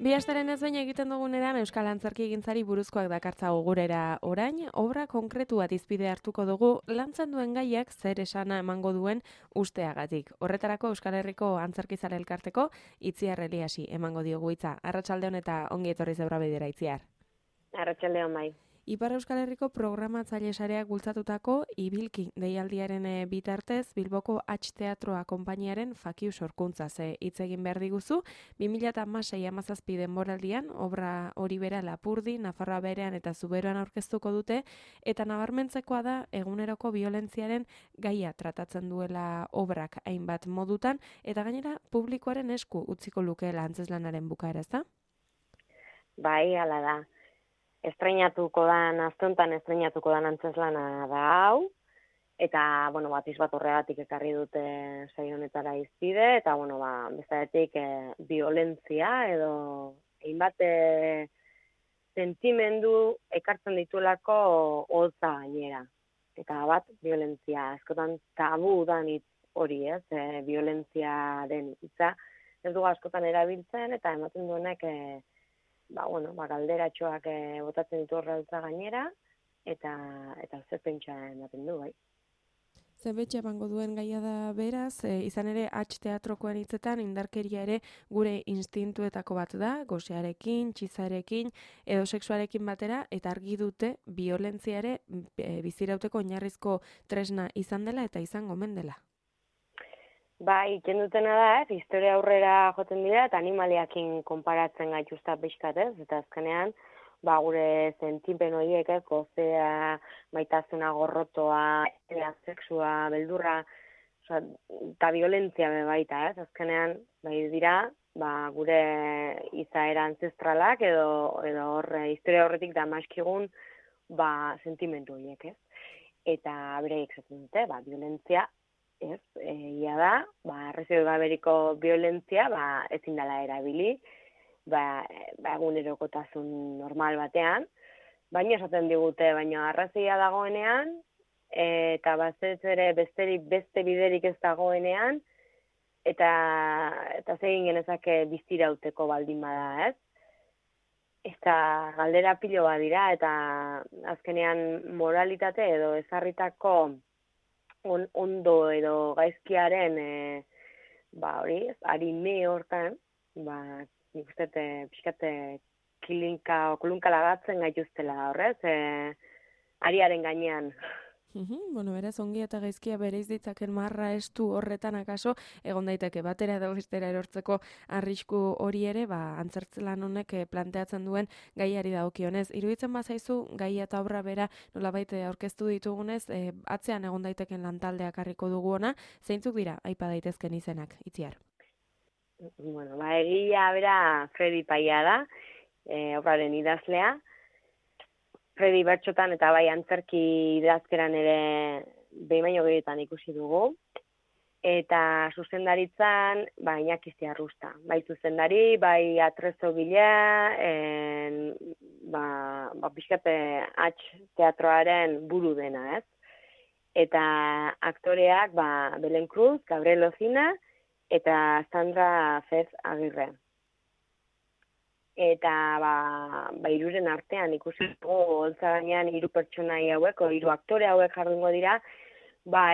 Bi asteren ez baina egiten duguneran Euskal Antzerkigintzari buruzkoak dakartzagu gurera orain, obra konkretu bat izpide hartuko dugu lantzen duen gaiak zer esana emango duen usteagatik. Horretarako Euskal Herriko Antzerkizale Elkarteko Itziar Eliasi emango diogu hitza. Arratsalde on eta ongi etorri Zeura Bidera, Itziar. Arratsalde on bai. Ipar Euskal Herriko programatzaile sareak bultzatutako Ibilki deialdiaren bitartez Bilboko H Teatroa konpainiaren fakiu sorkuntzaz hitz egin behar diguzu. 2016-17 denboraldian obra hori bera Lapurdi, Nafarroa Beherean eta Zuberoan aurkeztuko dute eta nabarmentzekoa da eguneroko biolentziaren gaia tratatzen duela obrak hainbat modutan eta gainera publikoaren esku utziko lukeela antzezlanaren bukaera, ezta? Bai, hala da. Aste estreinatuko dan antzeslana da hau, eta, batiz bat horregatik ekarri dute saio honetara izpide, eta, bestetik violentzia edo hainbat sentimendu ekartzen dituelako hotza gainera. Eta bat, violentzia, askotan tabu dan hitz hori, ez, violentzia den hitza, ez dugu askotan erabiltzen, eta ematen duenek galderatxoak botatzen ditu horretza gainera, eta zer pentsa ematen du, bai. Zenbetxe emango duen gaia da beraz, izan ere H Teatrokoen hitzetan indarkeria ere gure instintuetako bat da, gosearekin, txizarekin, edo sexuarekin batera, eta argi dute violentzia ere bizirauteko oinarrizko tresna izan dela eta izango omen dela. Bai, iken dutena da, historia aurrera joten dira, eta animaliakin konparatzen gaituzta pixkat, eta azkenean, gure sentipen horiek, gozea, maitasuna, gorrotoa, sexua, beldurra, eta violentzia baita, azkenean, dira, gure izaera ancestralak, edo hor, historia horretik da maskigun, sentimentu horiek, Eta bereiek zaten dute, violentzia, ia da, arrazoi gaberiko violentzia, ezin dela erabili, egunerokotasun normal batean, baina esaten digute, baina arrazoia dagoenean, eta beste biderik ez dagoenean, eta zegin genezake biztirauteko baldin bada, ez? Eta galdera pilo bat dira, eta azkenean moralitate edo ezarritako ondo edo gaizkiaren arime hortan, nik uste pixkate kolunka lagatzen gaituztela horrez, ariaren gainean. Beraz, ongi eta gaizkia bereiz ditzaken marra estu horretan akaso, egon daiteke batera edo bestera erortzeko arrisku hori ere, antzertzelan honek planteatzen duen gaiari dagokionez. Iruditzen bazaizu, gaia eta obra bera nolabait aurkeztu ditugunez, atzean egon daiteken lantaldeak harriko dugu ona, zeintzuk dira, aipa daitezken izenak, Itziar? Egia bera Fredi Paia da, obraren idazlea, Fredi bertxotan eta bai antzerki idazkeran ere behin baino gehietan ikusi dugu. Eta zuzendaritzan, Iñaki Ziarrusta. Bai zuzendari, bai atrezo gilea, pixkate H Teatroaren buru dena, ez? Eta aktoreak, Belen Cruz, Gabriel Ozina, eta Sandra Fez Agirre. Eta hiruren artean ikusi dugu holtza gainean 3 pertsonai hauek, 3 aktore hauek jardungo dira,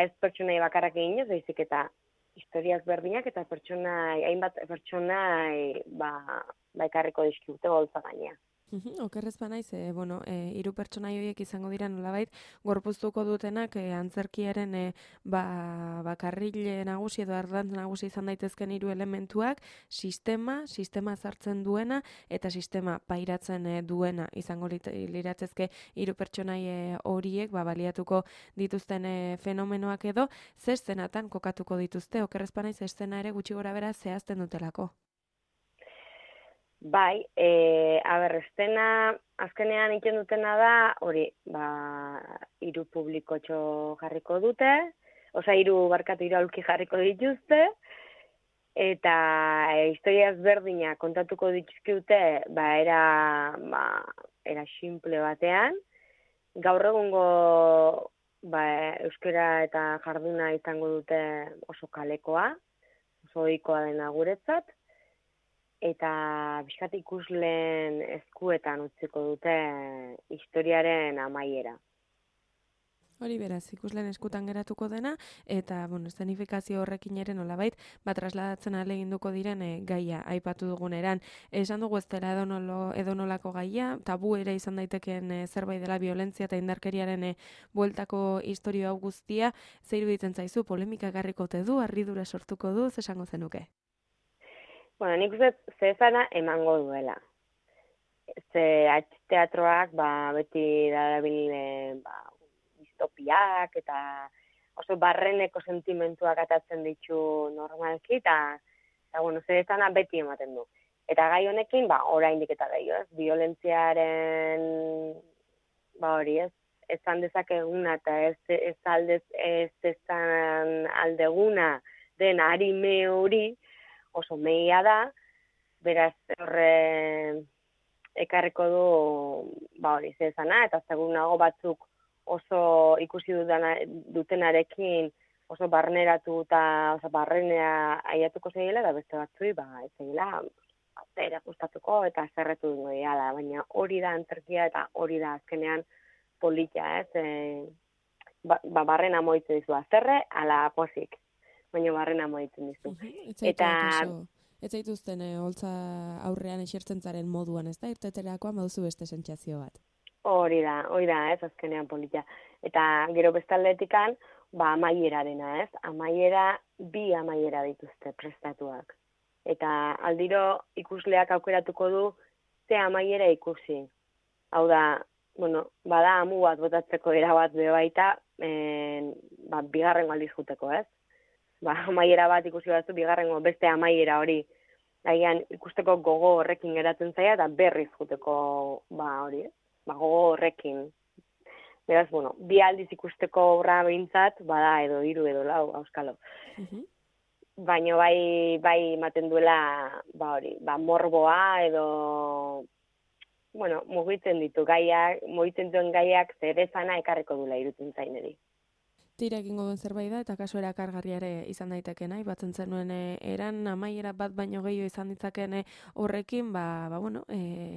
ez pertsonai bakarrak eginez, baizik eta historiak berdinak eta hainbat pertsonai ekarriko dizkigute holtza gainean. Okerrez banaiz, 3 pertsonai horiek izango dira nolabait gorpuztuko dutenak antzerkiaren karrile nagusi edo ardantz nagusi izan daitezken 3 elementuak, sistema sartzen duena eta sistema pairatzen duena izango liratzezke 3 pertsonai horiek baliatuko dituzten fenomenoak edo zer zenatan kokatuko dituzte, okerrez banaiz eszena ere gutxi gorabehera zehazten dutelako. Bai, estena azkenean iken dutena da, hori, 3 publikotxo jarriko dute, 3 aulki jarriko dituzte, eta historia ezberdinak kontatuko dituzkute, era simple batean, gaur egungo euskara eta jarduna izango dute oso kalekoa, oso ohikoa dena guretzat, eta bizkat ikusleen eskuetan utziko dute historiaren amaiera. Hori beraz, ikusleen eskutan geratuko dena, eta, eszenifikazio horrekin ere nolabait, trasladatzen ahaleginduko diren gaia aipatu duguneran. Esan dugu ez dela edonolako gaia, tabu ere izan daitekeen zerbait dela violentzia eta indarkeriaren bueltako historia hau guztia, ze iruditzen zaizu, polemika garriko ote du, harridura sortuko du, esango zenuke? Bueno, nik uste zezana emango duela. Ze teatroak beti darabil distopiak eta oso barreneko sentimentuak atatzen ditu normalki eta zezana beti ematen du. Eta gai honekin, oraindik eta gehiago, ez? Violentziaren, hori, ez? Ezan dezakeguna eta ez ezan aldeguna den arime hori oso mehia da, beraz horre ekarriko du, hori, zezana, eta segurunago batzuk oso ikusi dutenarekin oso barneratu eta oso barrenea aiatuko zegila, eta beste batzui, ez zegila, zera gustatuko eta zerretu dugu diala, baina hori da antzerkia eta hori da azkenean polita, ez? Barrena moitzen dizu azerre, ala pozik, baina barrena moitzen dizu. Ez zaituzten holtza aurrean esertzen zaren moduan, ez da? Irteterakoan baduzu beste sentsazio bat. Hori da, ez azkenean polita. Eta gero bestaletikan, amaierarena, ez? Bi amaiera dituzte prestatuak. Eta aldiro ikusleak aukeratuko du ze amaiera ikusi. Hau da, bada amu bat botatzeko erabat baita, bigarrengo aldiz juteko, ez? Amaiera bat ikusi batzu, bigarrengo beste amaiera hori. Agian ikusteko gogo horrekin geratzen zaia, eta berriz juteko, hori, ez? Gogo horrekin. Beraz, bi aldiz ikusteko obra behintzat, bada edo 3 edo 4, auskalo. Baina bai ematen duela, hori, morboa edo, mugitzen ditu gaiak, mugitzen duen gaiak zerezana ekarriko duela irutzen zaineri. Tira egingo duen zerbait da, eta kaso erakargarria ere izan daitekena, ibatzen zenuen eran amaiera bat baino gehiago izan ditzaken horrekin,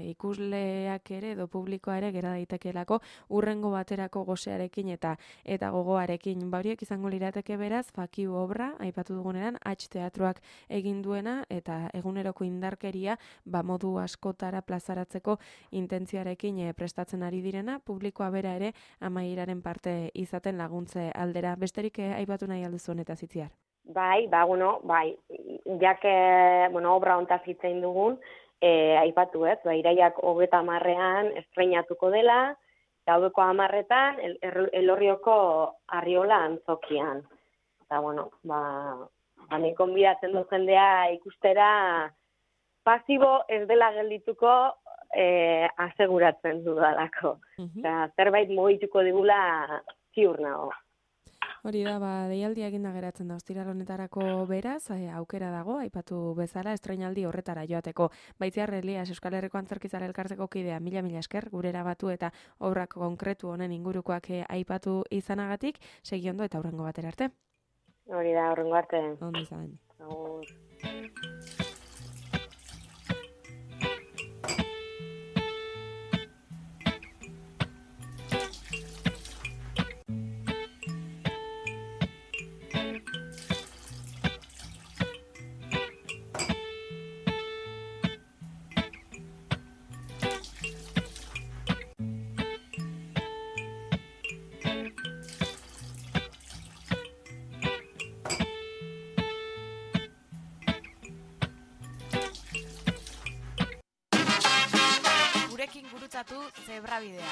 ikusleak ere edo publikoa ere gera daitekelako urrengo baterako gosearekin eta gogoarekin. Horiek izango lirateke beraz, fakiu obra, aipatu duguneran, teatroak egin duena eta eguneroko indarkeria modu askotara plazaratzeko intentzioarekin prestatzen ari direna, publikoa bera ere amaieraren parte izaten laguntze aldera. Besterik aipatu nahi alduzu honetaz itziar? Bai, jake, obra hontaz hitzein dugun, aipatu ez, iraiak 30ean estreinatuko dela, gaudeko 10etan, Elorrioko Arriola antzokian. Eta, ni konbidatzen du jendea ikustera pasibo ez dela geldituko aseguratzen dudalako. Zerbait mugituko digula ziur nago. Hori da, deialdia eginda geratzen da ostiral honetarako beraz, aukera dago, aipatu bezala, estreinaldi horretara joateko. Baitziar Elias, Euskal Herriko Antzerkizale Elkarteko kidea, mila esker, gurera batu eta obrak konkretu honen ingurukoak aipatu izanagatik, segi ondo eta hurrengo batera arte. Hori da, hurrengo arte. Ondo izan. Agur. Gurekin gurutzatu Zebrabidea.